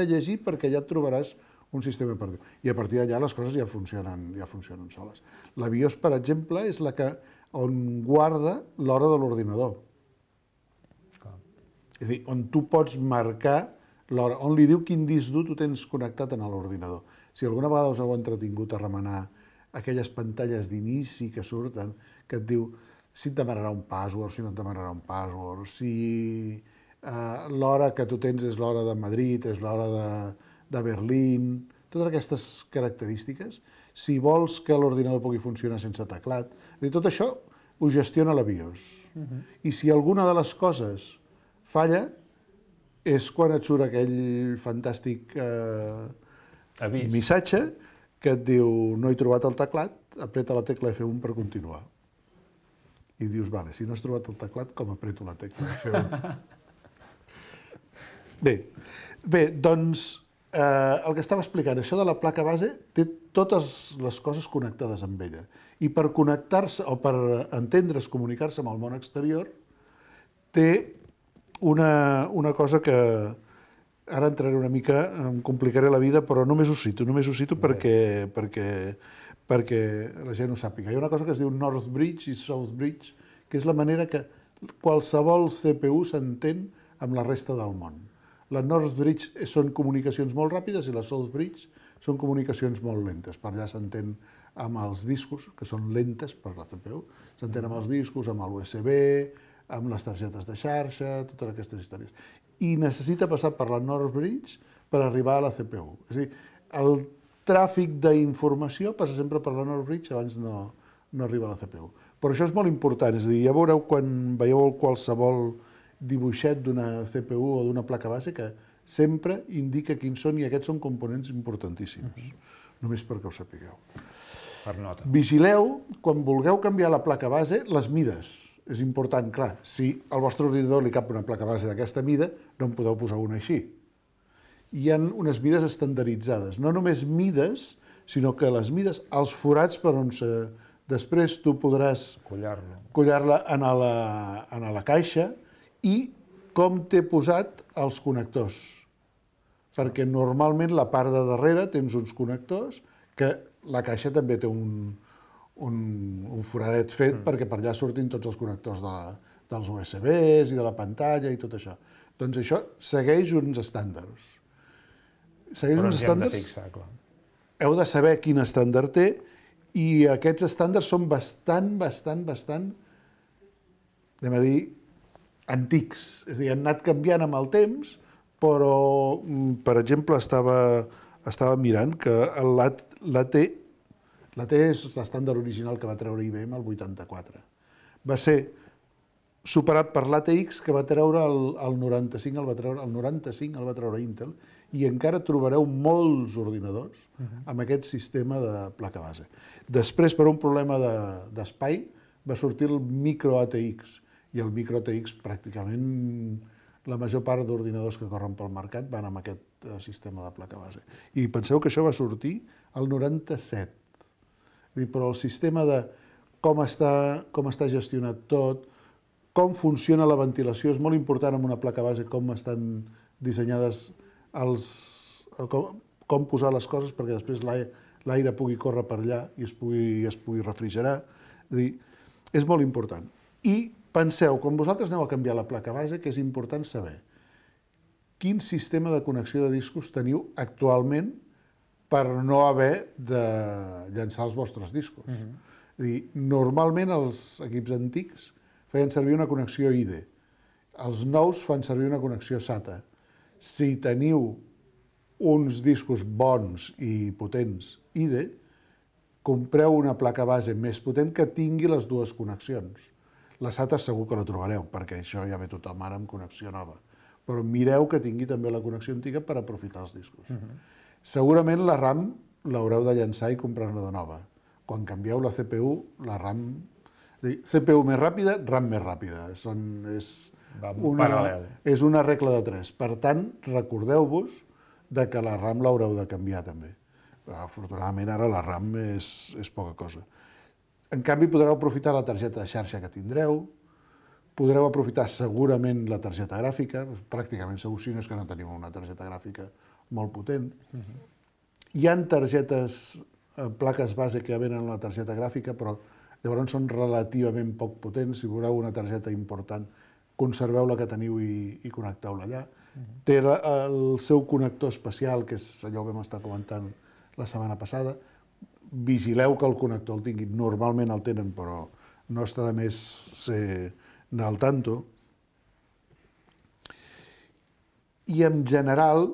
llegir perquè ja et trobaràs un sistema operatiu. I a partir d'allà les coses ja funcionen soles. La BIOS, per exemple, és on guarda l'hora de l'ordinador. És a dir, on tu pots marcar l'hora, on li diu quin disc dur tu tens connectat en l'ordinador. Si alguna vegada us heu entretingut a remenar aquelles pantalles d'inici que surten, que et diu si et demanarà un password, si no et demanarà un password, si l'hora que tu tens és l'hora de Madrid, és l'hora de Berlín, totes aquestes característiques, si vols que l'ordinador pugui funcionar sense teclat, tot això ho gestiona la BIOS. I si alguna de les coses falla, és quan et surt aquell fantàstic missatge que et diu no he trobat el teclat, apreta la tecla F1 per continuar. I dius, vale, si no has trobat el teclat, com apreto la tecla F1? Bé, doncs, el que estava explicant, això de la placa base té totes les coses connectades amb ella. I per connectar-se, o per entendre's, comunicar-se amb el món exterior, té una cosa que ara entraré una mica, em complicaré la vida, però només ho cito perquè la gent ho sàpiga. Hi ha una cosa que es diu North Bridge i South Bridge, que és la manera que qualsevol CPU s'entén amb la resta del món. La North Bridge són comunicacions molt ràpides i la South Bridge són comunicacions molt lentes. Per allà s'entén amb els discos, que són lentes per la CPU, s'entén amb els discos, amb l'USB, amb les targetes de xarxa, totes aquestes històries. I necessita passar per la North Bridge per arribar a la CPU. És a dir, el tràfic d'informació passa sempre per la North Bridge, abans no arriba a la CPU. Però això és molt important, és a dir, ja veureu quan veieu qualsevol dibuixet d'una CPU o d'una placa base que sempre indica quins són i aquests són components importantíssims, només perquè ho sapigueu. Per nota. Vigileu, quan vulgueu canviar la placa base, les mides. És important, clar, si al vostre ordinador li cap una placa base d'aquesta mida, no en podeu posar una així. Hi ha unes mides estandarditzades, no només mides, sinó que les mides, els forats per on després tu podràs collar-la en la caixa i com t'he posat els connectors. Perquè normalment la part de darrere tens uns connectors que la caixa també té un foradet fet perquè per allà surtin tots els connectors dels USBs i de la pantalla i tot això. Doncs això segueix uns estàndards. Però ens hi hem de fixar, clar. Heu de saber quin estàndard té i aquests estàndards són bastant, anem a dir, antics. És a dir, han anat canviant amb el temps, però, per exemple, estava mirant que l'AT és l'estàndard original que va treure IBM el 84. Va ser superat per l'ATX, que va treure el 95, el 95 el va treure Intel, i encara trobareu molts ordinadors amb aquest sistema de placa base. Després, per un problema d'espai, va sortir el micro ATX, i el micro ATX pràcticament la major part d'ordinadors que corren pel mercat van amb aquest sistema de placa base. I penseu que això va sortir el 97. Però el sistema de com està gestionat tot, com funciona la ventilació, és molt important en una placa base, com estan dissenyades, com posar les coses perquè després l'aire pugui córrer per allà i es pugui refrigerar. És molt important. I penseu, quan vosaltres aneu a canviar la placa base, que és important saber quin sistema de connexió de discos teniu actualment per no haver de llançar els vostres discos. Normalment els equips antics feien servir una connexió IDE. Els nous fan servir una connexió SATA. Si teniu uns discos bons i potents IDE, compreu una placa base més potent que tingui les dues connexions. La SATA segur que la trobareu, perquè això ja ve tothom ara amb connexió nova. Però mireu que tingui també la connexió antiga per aprofitar els discos. Segurament la RAM l'haureu de llançar i comprar-ne de nova. Quan canvieu la CPU, la RAM... CPU més ràpida, RAM més ràpida. És una regla de 3. Per tant, recordeu-vos que la RAM l'haureu de canviar també. Afortunadament ara la RAM és poca cosa. En canvi, podreu aprofitar la targeta de xarxa que tindreu, podreu aprofitar segurament la targeta gràfica, pràcticament segur, si no és que no teniu una targeta gràfica molt potent. Hi ha targetes, plaques base que venen una targeta gràfica, però llavors són relativament poc potents. Si voleu una targeta important, conserveu la que teniu i connecteu-la allà. Té el seu connector especial, que és allò que vam estar comentant la setmana passada. Vigileu que el connector el tinguin. Normalment el tenen, però no està de més anar al tanto. I en general,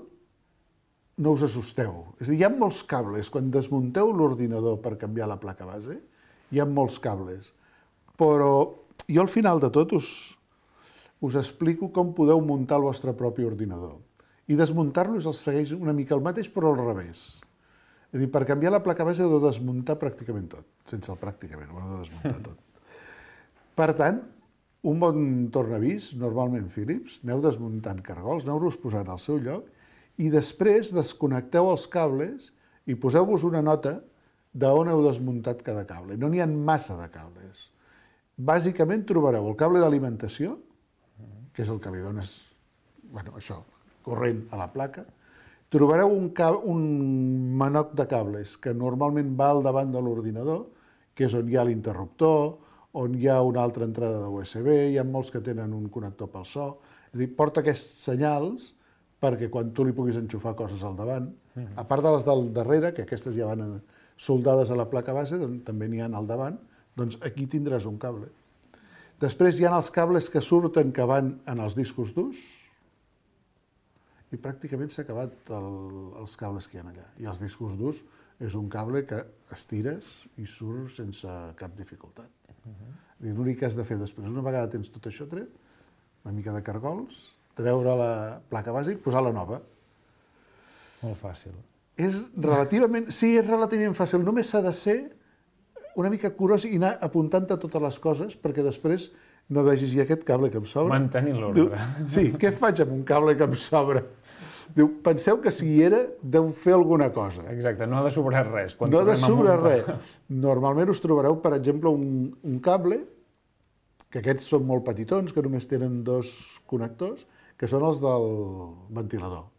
no us assusteu. És a dir, hi ha molts cables. Quan desmunteu l'ordinador per canviar la placa base, hi ha molts cables, però jo al final de tot us explico com podeu muntar el vostre propi ordinador. I desmuntar-lo segueix una mica el mateix, però al revés. És a dir, per canviar la placa base heu de desmuntar pràcticament tot, sense el pràcticament, ho heu de desmuntar tot. Per tant, un bon tornavís, normalment Philips, aneu desmuntant cargols, aneu-los posant al seu lloc i després desconnecteu els cables i poseu-vos una nota d'on heu desmuntat cada cable. No n'hi ha massa de cables. Bàsicament trobareu el cable d'alimentació, que és el que li dones, corrent a la placa. Trobareu un manoc de cables que normalment va al davant de l'ordinador, que és on hi ha l'interruptor, on hi ha una altra entrada de USB, hi ha molts que tenen un connector pel so. És a dir, porta aquests senyals perquè quan tu li puguis enxufar coses al davant, a part de les del darrere, que aquestes ja van soldades a la placa base, també n'hi ha al davant, doncs aquí tindràs un cable. Després hi ha els cables que surten que van en els discos durs i pràcticament s'ha acabat els cables que hi ha allà. I els discos durs és un cable que estires i surt sense cap dificultat. L'únic que has de fer després, una vegada tens tot això tret, una mica de cargols, treure la placa base i posar la nova. Molt fàcil. És relativament fàcil. Només s'ha de ser una mica curós i anar apuntant-te totes les coses perquè després no vegis aquest cable que em sobra. Mantenir l'ordre. Sí, què faig amb un cable que em sobra? Diu, penseu que si hi era, deu fer alguna cosa. Exacte, no ha de sobrar res. No ha de sobrar res. Normalment us trobareu, per exemple, un cable, que aquests són molt petitons, que només tenen 2 connectors, que són els del ventilador.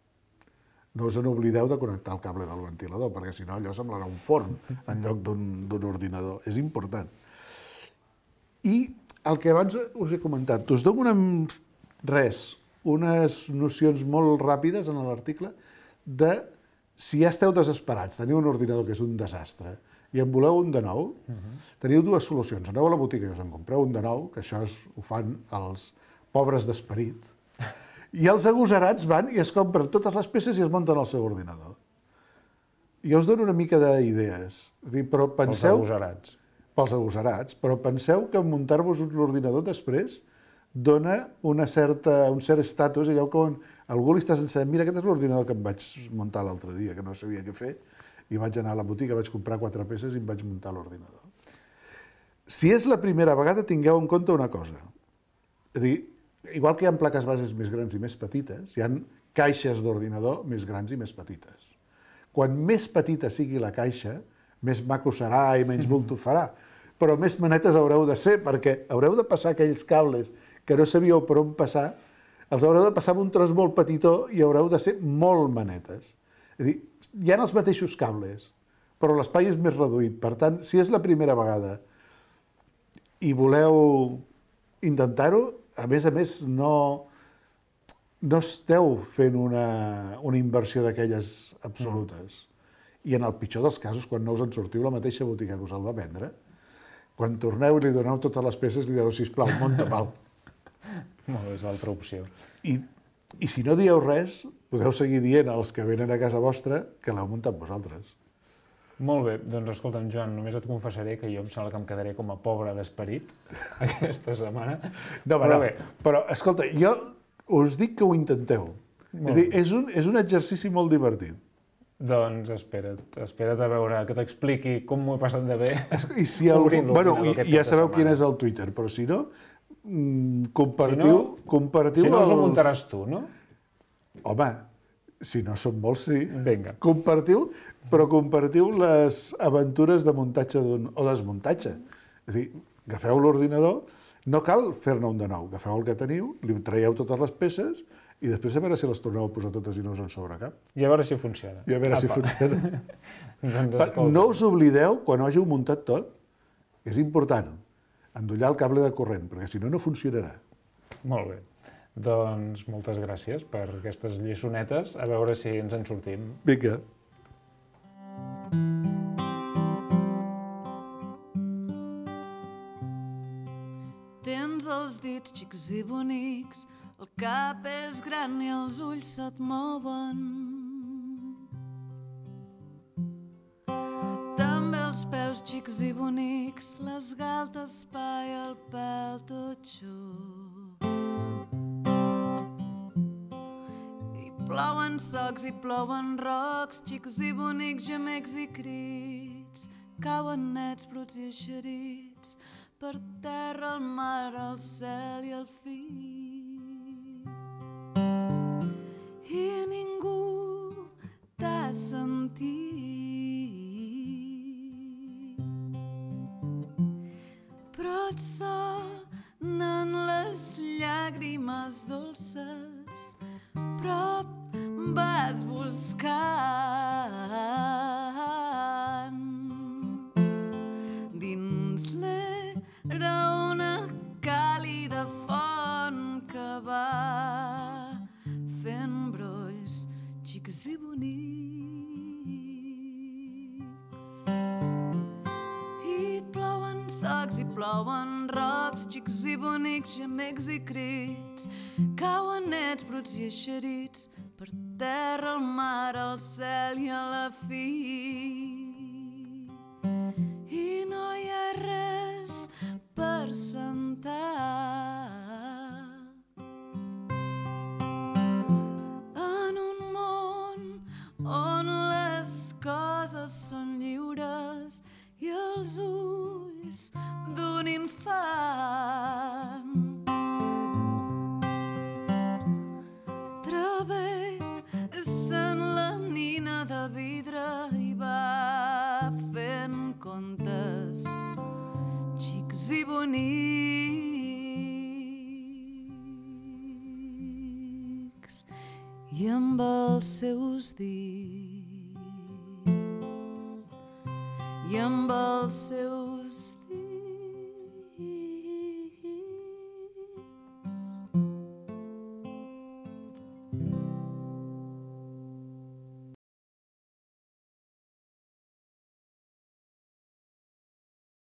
no us n'oblideu de connectar el cable del ventilador, perquè si no allò semblarà un forn en lloc d'un ordinador. És important. I el que abans us he comentat, us dono unes nocions molt ràpides en l'article de si ja esteu desesperats, teniu un ordinador que és un desastre i en voleu un de nou, teniu dues solucions. Aneu a la botiga i us en compreu un de nou, que això ho fan els pobres d'esperit, i els agosarats van i es compren totes les peces i es munten el seu ordinador. Jo us dono una mica d'idees, però penseu... Els agosarats. Pels agosarats, però penseu que muntar-vos un ordinador després dona un cert estatus, allò quan algú li estàs ensenyant, mira, aquest és l'ordinador que em vaig muntar l'altre dia, que no sabia què fer, i vaig anar a la botiga, vaig comprar 4 peces i em vaig muntar l'ordinador. Si és la primera vegada, tingueu en compte una cosa. És a dir, igual que hi ha plaques bases més grans i més petites, hi ha caixes d'ordinador més grans i més petites. Quan més petita sigui la caixa, més maco serà i menys bulto farà. Però més manetes haureu de ser, perquè haureu de passar aquells cables que no sabíeu per on passar, els haureu de passar amb un tros molt petitó i haureu de ser molt manetes. És a dir, hi ha els mateixos cables, però l'espai és més reduït. Per tant, si és la primera vegada i voleu intentar-ho, a més, no esteu fent una inversió d'aquelles absolutes. I en el pitjor dels casos, quan no us en sortiu, la mateixa botiga que us el va vendre, quan torneu i li doneu totes les peces, li direu, sisplau, munta mal. Molt bé, és l'altra opció. I si no dieu res, podeu seguir dient als que venen a casa vostra que l'heu muntat vosaltres. Molt bé, doncs escolta'm, Joan, només et confessaré que jo em sembla que em quedaré com a pobre d'esperit aquesta setmana. Però, escolta, jo us dic que ho intenteu. És a dir, és un exercici molt divertit. Doncs espera't a veure que t'expliqui com m'ho he passat de bé. I si ja sabeu quin és el Twitter, però si no, compartiu... Si no els ho muntaràs tu, no? Home, si no són molts, sí. Vinga. Compartiu les aventures de muntatge o desmuntatge. És a dir, agafeu l'ordinador, no cal fer-ne un de nou, agafeu el que teniu, li traieu totes les peces i després a veure si les torneu a posar totes i no us en sobra cap. I a veure si funciona. No us oblideu, quan ho hàgiu muntat tot, és important, endollar el cable de corrent, perquè si no, no funcionarà. Molt bé. Doncs moltes gràcies per aquestes lliçonetes, a veure si ens en sortim. Vinga. Tens els dits xics i bonics, el cap és gran i els ulls se't mouen. També els peus xics i bonics, les galtes pa i el pèl tot xup. I plouen socs i plouen rocs, xics i bonics, gemecs i crits, cauen nets, bruts i eixerits, per terra, el mar, el cel i el fi. I ningú t'ha sentit. Però et sonen les llàgrimes dolces, però vas buscant dins l'era una càlida font que va fent brolls xics i bonics. I plouen socs i plouen rocs, xics i bonics, gemecs i crits, cauen nets, bruts i eixerits, per terra, el mar, el cel i a la fi. I no hi ha res per sentar. En un món on les coses són lliures i els ulls d'un infant. Travessen la nina de vidre i va fent contes xics i bonics. I i amb els seus dits i amb els seus